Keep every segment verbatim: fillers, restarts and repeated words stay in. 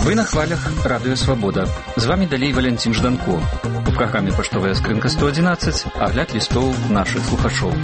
Вы на хвалях Радио Свобода. З вами далей Валентин Жданко. У праграме «Паштовая скрынка сто одиннадцать» агляд лістоў нашых слухачоў.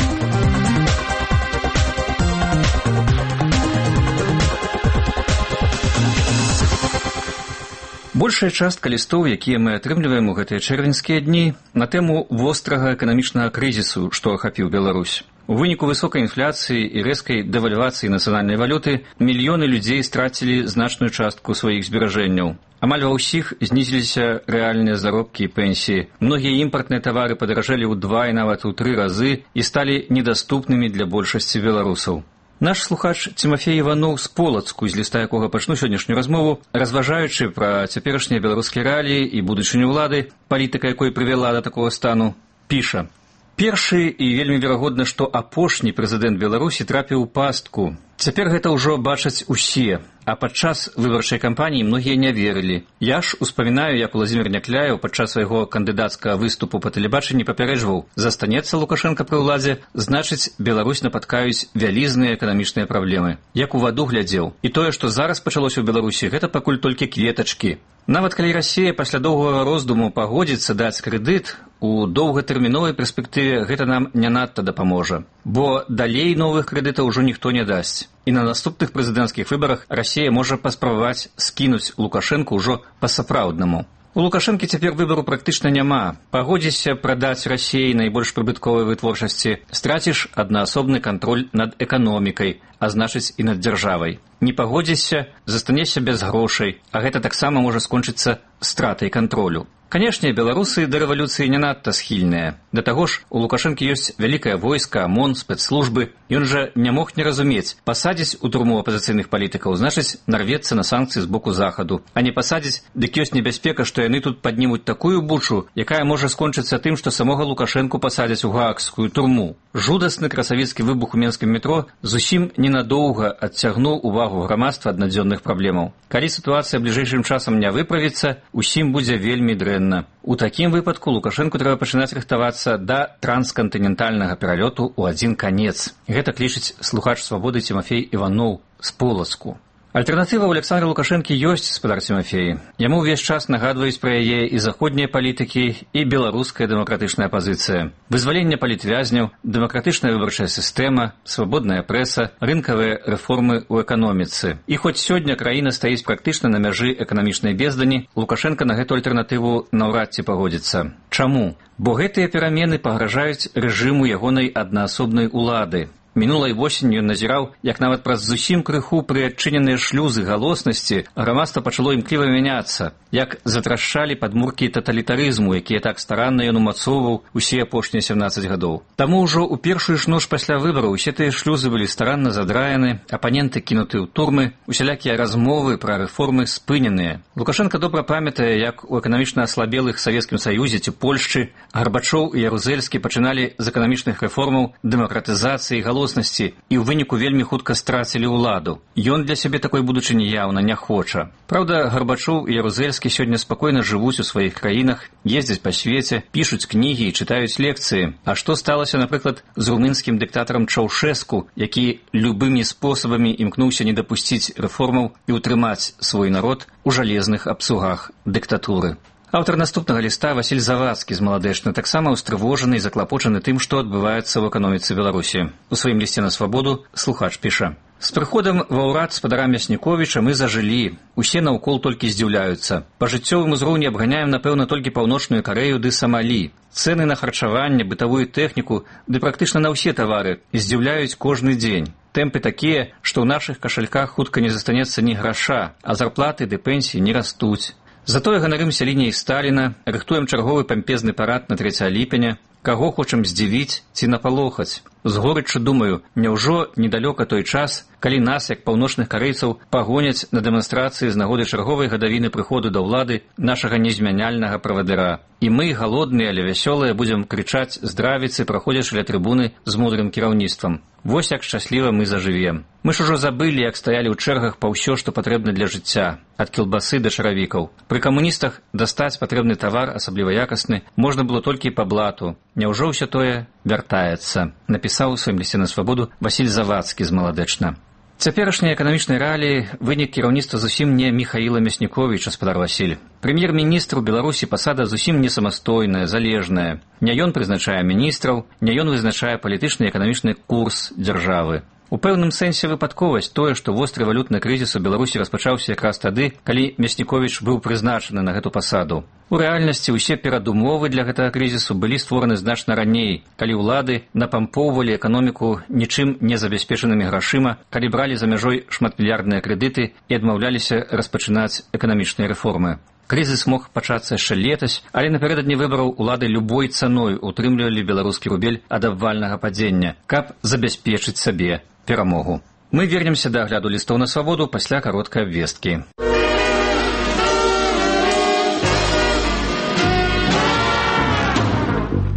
Большая частка лістоў, якія мы атрымліваем у гэтыя чэрвеньскія дні, на тэму вострага эканамічнага крызісу, што ахапіў Беларусь. У выніку высокай інфляцыі і рэзкай дэвальвацыі нацыянальнай валюты мільёны людзей страцілі значную частку сваіх зберажэнняў. Амаль ва ўсіх знізіліся рэальныя заробкі і пенсіі. Многія імпартныя тавары падаражэлі ў два і нават у тры разы і сталі недаступнымі для большасці беларусаў. Наш слухач Тимофей Иванов з Полацку, з ліста якога пачну сённяшнюю размову, разважаючы пра цяперашнія беларускія рэаліі і будучыню ўлады, палітыка якой прывяла да такога стану, піша: «Першы і вельмі верагодна, што апошні прэзідэнт Беларусі трапіў у пастку. Цяпер гэта ўжо бачаць усе, а падчас выбарчай кампаніі многія не верылі. Я ж успамінаю, як Уладзімір Някляеў падчас свайго кандыдацкага выступу па тэлебачанні папярэджваў: застанецца Лукашенка пры ўладзе, значыць, Беларусь напаткаюць вялізныя эканамічныя праблемы. Як у ваду глядзеў. І тое, што зараз пачалося ў Беларусі, гэта пакуль толькі кветачкі. Нават калі Расія пасля доўгага роздуму пагодзіцца даць крэдыт, у доўгатэрміновай перспектыве гэта нам не надта дапаможа. Бо далей новых крэдытаў ужо ніхто не дасць. І на наступных прэзідэнцкіх выбарах Расія можа паспрабаваць скінуць Лукашэнку ўжо па-сапраўднаму. У Лукашэнкі цяпер выбару практычна няма. Пагодзішся прадаць Расіі найбольш прыбытковай вытворчасці, страціш аднаасобны кантроль над эканомікай, а значыць і над дзяржавай. Не пагодзішся, застанешся без грошай, а гэта таксама можа скончыцца стратай кантролю. Канешне, беларусы да рэвалюцыі не надта схільныя. Да таго ж, у Лукашэнкі ёсць вялікае войска, ОМОН, спецслужбы. Ён жа не мог не разумець: пасадзіць у турму апазіцыйных палітыкаў, значыць, нарвецца на санкцыі з боку захаду. А не пасадзіць, дык ёсць небяспека, што яны тут паднімуць такую бучу, якая можа скончыцца тым, што самога Лукашэнку пасадзяць у гаагскую турму. Жудасны красавіцкі выбух у менскім метро зусім ненадоўга адцягнуў увагу грамадства ад надзённых праблемаў. Калі сітуацыя бліжэйшым часам не выправіцца, усім будзе вельмі дрэнна. У такім выпадку Лукашэнку трэба пачынаць рыхтавацца да транскантынентальнага пералёту ў адзін канец. Гэта клічыць слухач Свабоды Тимофей Иванов з Полацку. Альтэрнатыва ў Александра Лукашэнкі ёсць, спадар Тимофей. Яму ўвесь час нагадваюць пра яе і заходнія палітыкі, і беларуская дэмакратычная пазіцыя. Вызваленне палітвязняў, дэмакратычная выбарчая сістэма, свабодная прэса, рынкавыя рэформы ў эканоміцы. І хоць сёння краіна стаіць практычна на мяжы эканамічнай бездані, Лукашэнка на гэту альтэрнатыву наўрад ці пагодзіцца. Чаму? Бо гэтыя перамены пагражаюць рэжыму ягонай аднаасобнай улады. Мінулай восенню ён назіраў, як нават праз зусім крыху прыадчыненыя шлюзы галоснасці грамадства пачало імкліва мяняцца, як затрашчалі падмуркі таталітарызму, якія так старанна ён умацоўваў усе апошнія сямнаццаць гадоў. Таму ўжо ў першую ж ноч пасля выбараў усе тыя шлюзы былі старанна задраены, апаненты кінуты ў турмы, усялякія размовы пра рэформы спыненыя. Лукашенка добра памятае, як у эканамічна аслабелых Савецкім Саюзе ці Польшчы Гарбачоў і Ярузельскі пачыналі з эканамічных рэформаў, дэмакратызацыі, галоснасці, і ў выніку вельмі хутка страцілі ўладу. Ён для сябе такой будучыні яўна не хоча. Праўда, Гарбачоў і Ярузельскі сёння спакойна жывуць у сваіх краінах, ездзяць па свеце, пішуць кнігі і чытаюць лекцыі. А што сталася, напрыклад, з румынскім дыктатарам Чаўшэску, які любымі спосабамі імкнуўся не дапусціць рэформаў і ўтрымаць свой народ у жалезных абцугах дыктатуры. Аўтар наступнага ліста Васіль Завадскі з Маладэчна таксама ўстрывожаны і заклапочаны тым, што адбываецца ў эканоміцы Беларусі. У сваім лісце на Свабоду слухач піша: «З прыходам ва ўрад спадара Мясніковіча мы зажылі. Усе наўкол толькі здзіўляюцца. Па жыццёвым узроўні абганяем, напэўна, толькі Паўночную Карэю ды Самалі. Цэны на харчаванне, бытавую тэхніку ды практычна на ўсе тавары здзіўляюць кожны дзень. Тэмпы такія, што ў нашых кашальках хутка не застанецца ні граша, а зарплаты ды пенсіі не растуць. Затое ганарымся лініяй Сталіна, рыхтуем чарговы пампезны парад на трэцяе ліпеня, каго хочам здзівіць ці напалохаць. З горыччу думаю, няўжо недалёка той час, калі нас, як паўночных карэйцаў, пагоняць на дэманстрацыі з нагоды чарговай гадавіны прыходу да ўлады нашага незмяняльнага правадыра. І мы, галодныя, але вясёлыя, будзем крычаць здравіцы, праходзячы ля трыбуны з мудрым кіраўніцтвам. Вось як шчасліва мы зажывем. Мы ж ужо забылі, як стаялі ў чэргах па ўсё, што патрэбна для жыцця, ад кілбасы да чаравікаў. Пры камуністах дастаць патрэбны тавар, асабліва якасны, можна было толькі па блату. Няўжо ўсё тое вяртаецца, напісаў у сваім лісце на Свабоду Васіль Завадскі з Маладэчна. Цяперашнія эканамічныя рэаліі вынік кіраўніцтва зусім не Міхаіла Мясніковіча, спадар Васіль. Прэм'ер-міністр у Беларусі пасада зусім не самастойная, залежная. Не ён прызначае міністраў, не ён вызначае палітычны і эканамічны курс дзяржавы. У пэўным сэнсе выпадковасць тое, што востры валютны крызіс у Беларусі распачаўся якраз тады, калі Мясніковіч быў прызначаны на гэту пасаду. У рэальнасці ўсе перадумовы для гэтага крызісу былі створаны значна раней, калі ўлады напампоўвалі эканоміку нічым не забяспечанымі грашыма, калі бралі за мяжой шматмільярдныя крэдыты і адмаўляліся распачынаць эканамічныя рэформы. Крызіс мог пачацца яшчэ летась, але напярэдадні выбараў улады любой цаной утрымлівалі беларускі рубель ад абвальнага падзення, каб забяспечыць сабе перамогу. Мы вернемся да агляду лістоў на свабоду пасля кароткай абвесткі.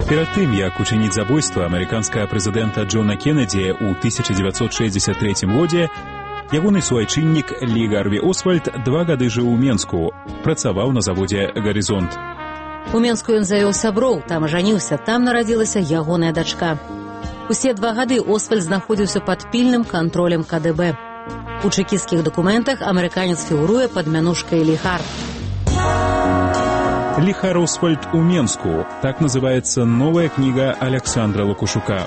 Перад тым, як учыніць забойства амерыканскага прэзідэнта Джона Кеннеді ў тысяча дзевяцьсот шэсцьдзесят трэцім годзе, ягоны суайчыннік Лі Гарві Освальд два гады жыў у Менску, працаваў на заводзе «Гарызонт». У Менску ён завёў сяброў, там ажаніўся, там нарадзілася ягоная дачка. Усе два гады Освальд знаходзіўся пад пільным кантролем ка дэ бэ. У чэкісцкіх дакументах амерыканец фігуруе пад мянушкай Ліхар. Ліхар Освальд у Менску. Так называется новая книга Александра Лукашука.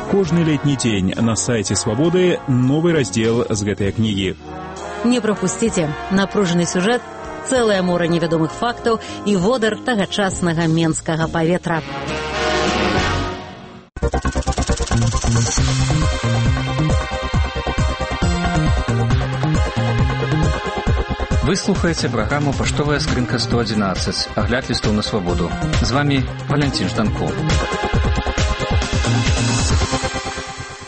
Кожны летні дзень на сайце «Свабоды» новы раздзел з гэтай кнігі. Не прапусціце. Напружаны сюжэт, цэлае мора невядомых фактаў і водар тагачаснага менскага паветра. Вы слухаеце праграму «Паштовая скрынка сто адзінаццаць», агляд лістоў на свабоду. З вами Валянцін Жданков.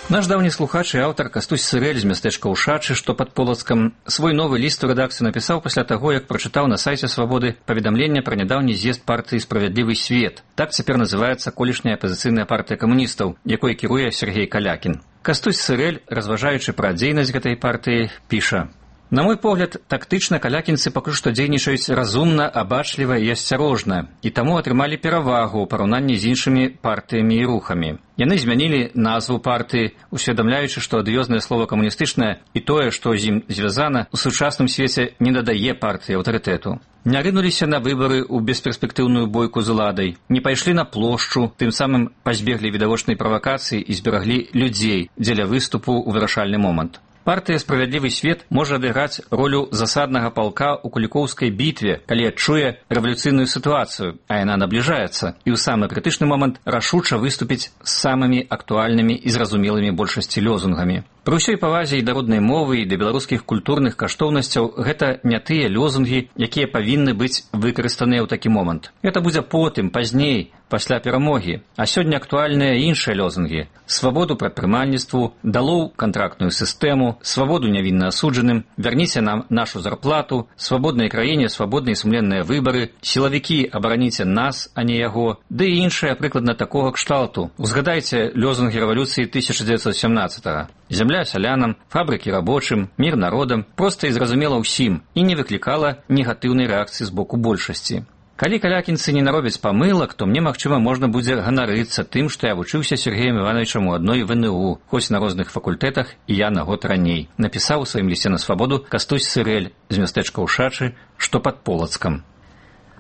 Наш даўні слухач і аўтар Кастусь Сырэль з мястэчка Ушачы, што пад Полацкам, свой новы ліст у рэдакцыю напісаў пасля таго, як прачытаў на сайце «Свабоды» паведамленне пра нядаўні з'езд партыі «Справядлівы свет». Так цяпер называецца колішняя апазіцыйная партыя камуністаў, якой кіруе Сергей Калякін. Кастусь Сырэль, разважаючы пра дзейнасць гэтай партыі, піша: На мой погляд, тактычна калякінцы пакуль што дзейнічаюць разумна, абачліва і асцярожна, і таму атрымалі перавагу ў параўнанні з іншымі партыямі і рухамі. Яны змянілі назву партыі, усведамляючы, што адыёзнае слова камуністычнае і тое, што з ім звязана, у сучасным свеце не дадае партыі аўтарытэту. Не рынуліся на выбары ў бесперспектыўную бойку з уладай, не пайшлі на плошчу, тым самым пазбеглі відавочнай правакацыі і збераглі людзей дзеля выступу ў вырашальны момант. Партыя «Справядлівы свет» можа адыграць ролю засаднага палка ў Кулікоўскай бітве, калі адчуе рэвалюцыйную сітуацыю, а яна набліжаецца, і ў самы крытычны момант рашуча выступіць з самымі актуальнымі і зразумелымі большасці лозунгамі. Пры ўсёй павазе і да роднай мовы, і да беларускіх культурных каштоўнасцяў гэта не тыя лозунгі, якія павінны быць выкарыстаныя ў такі момант. Гэта будзе потым, пазней, пасля перамогі. А сёння актуальныя іншыя лозунгі: свабоду прадпрымальніцтву, далоў кантрактную сістэму, свабоду нявінна асуджаным, вярніце нам нашу зарплату, свабоднай краіне свабодныя і сумленныя выбары, сілавікі абараніце нас, а не яго, ды і іншыя прыкладна такога кшталту. Узгадайце лозунгі рэвалюцыі тысяча дзевяцьсот сямнаццатага. Зямля сялянам, фабрыкі рабочым, мір народам, проста і зразумела ўсім і не выклікала негатыўнай рэакцыі з боку большасці. Калі калякінцы не наробяць памылак, то мне, магчыма, можна будзе ганарыцца тым, што я вучыўся Сергеем Івановичам у адной вэ эн у, хоць на розных факультэтах, і я на год раней. Напісаў у сваім лісце на свабоду Кастусь Сырэль з мястэчка Ушачы, што пад Полацкам.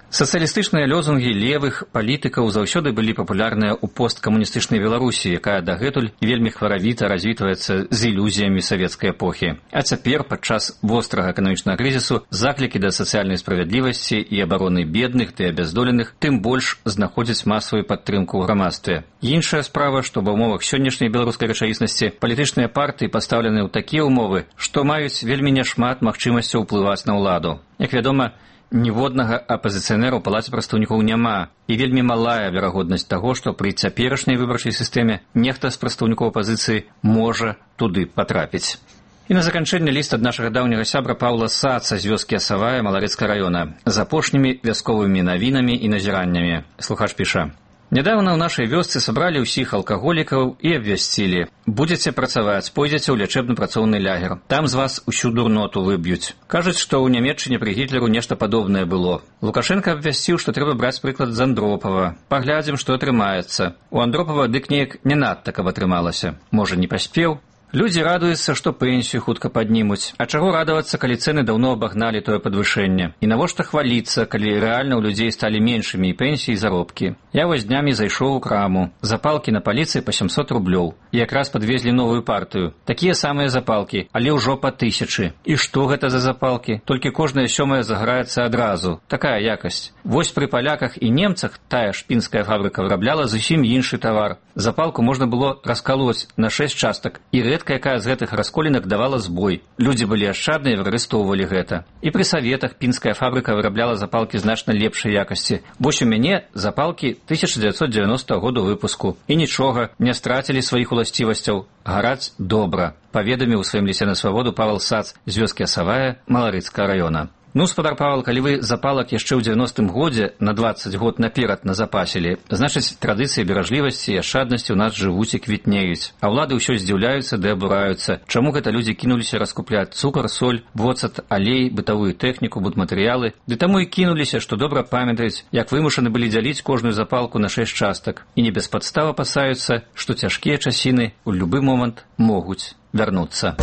Сацыялістычныя лозунгі левых палітыкаў заўсёды былі папулярныя ў посткамуністычнай Беларусі, якая дагэтуль вельмі хваравіта развітваецца з ілюзіямі савецкай эпохі. А цяпер, падчас вострага эканамічнага крызісу, заклікі да сацыяльнай справядлівасці і абароны бедных ды абяздоленых тым больш знаходзяць масавую падтрымку ў грамадстве. Іншая справа, што ва ўмовах сённяшняй беларускай рэчаіснасці палітычныя партыі пастаўлены ў такія ўмовы, што маюць вельмі няшмат магчымасцяў уплываць на ўладу. Як вядома, ніводнага апазіцыянера ў палаце прадстаўнікоў няма, і вельмі малая верагоднасць таго, што пры цяперашняй выбарчай сістэме нехта з прадстаўнікоў апазіцыі можа туды патрапіць. І на заканчэнне ліст ад нашага даўняга сябра Паўла Саца з вёскі Асавая Маларэцкага раёна з апошнімі вясковымі навінамі і назіраннямі. Слухач піша: Нядаўна ў нашай вёсцы сабралі ўсіх алкаголікаў і абвясцілі: будзеце працаваць, пойдзеце ў лячэбна-працоўны лягер. Там з вас усю дурноту выб'юць. Кажуць, што ў Нямецчыне пры Гітлеру нешта падобнае было. Лукашенко абвясціў, што трэба браць прыклад з Андропава. Паглядзім, што атрымаецца. У Андропава дык неяк не надта каб атрымалася. Можа, не паспеў? Людзі радуюцца, што пенсію хутка паднімуць. А чаго радавацца, калі цэны даўно абагналі тое падвышэнне? І навошта хваліцца, калі рэальна ў людзей сталі меншымі і пенсіі, і заробкі? Я вось днямі зайшоў у краму. Запалкі на паліцыі па сямсот рублёў. І якраз падвезлі новую партыю. Такія самыя запалкі, але ўжо па тысячы. І што гэта за запалкі? Толькі кожная сёмая загараецца адразу. Такая якасць. Вось пры паляках і немцах тая ж пінская фабрыка вырабляла зусім іншы тавар. Запалку можна было раскалоць на шэсць частак, і рэдка якая з гэтых расколінак давала збой. Людзі былі ашчадныя і выкарыстоўвалі гэта. І пры саветах пінская фабрыка вырабляла запалкі значна лепшай якасці. Вось у мяне запалкі тысяча дзевяцьсот дзевяностага году выпуску. І нічога, не страцілі сваіх уласцівасцяў. Гараць добра, паведаміў у сваім лісе на свабоду Павел Сац з вёскі Асавая Маларыцкага раёна. Ну, спадар Павел, калі вы запалак яшчэ ў дзевяностым годзе на дваццаць год наперад назапасілі, значыць, традыцыі беражлівасці і ашчаднасці ў нас жывуць і квітнеюць. А ўлады ўсё здзіўляюцца ды абураюцца. Чаму гэта людзі кінуліся раскупляць цукар, соль, воцат, алей, бытавую тэхніку, будматэрыялы? Ды таму і кінуліся, што добра памятаюць, як вымушаны былі дзяліць кожную запалку на шэсць частак. І не без падстав апасаюцца, што цяжкія часіны ў любы момант могуць вярнуцца.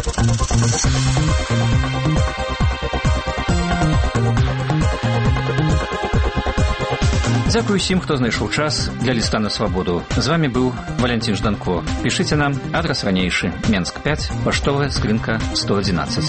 Дзякую усім, хто знайшоў час для ліста на свабоду. З вами быў Валянцін Жданко. Пішыце нам, адрас ранейшы, Менск пяць, паштовая скрынка сто адзінаццаць.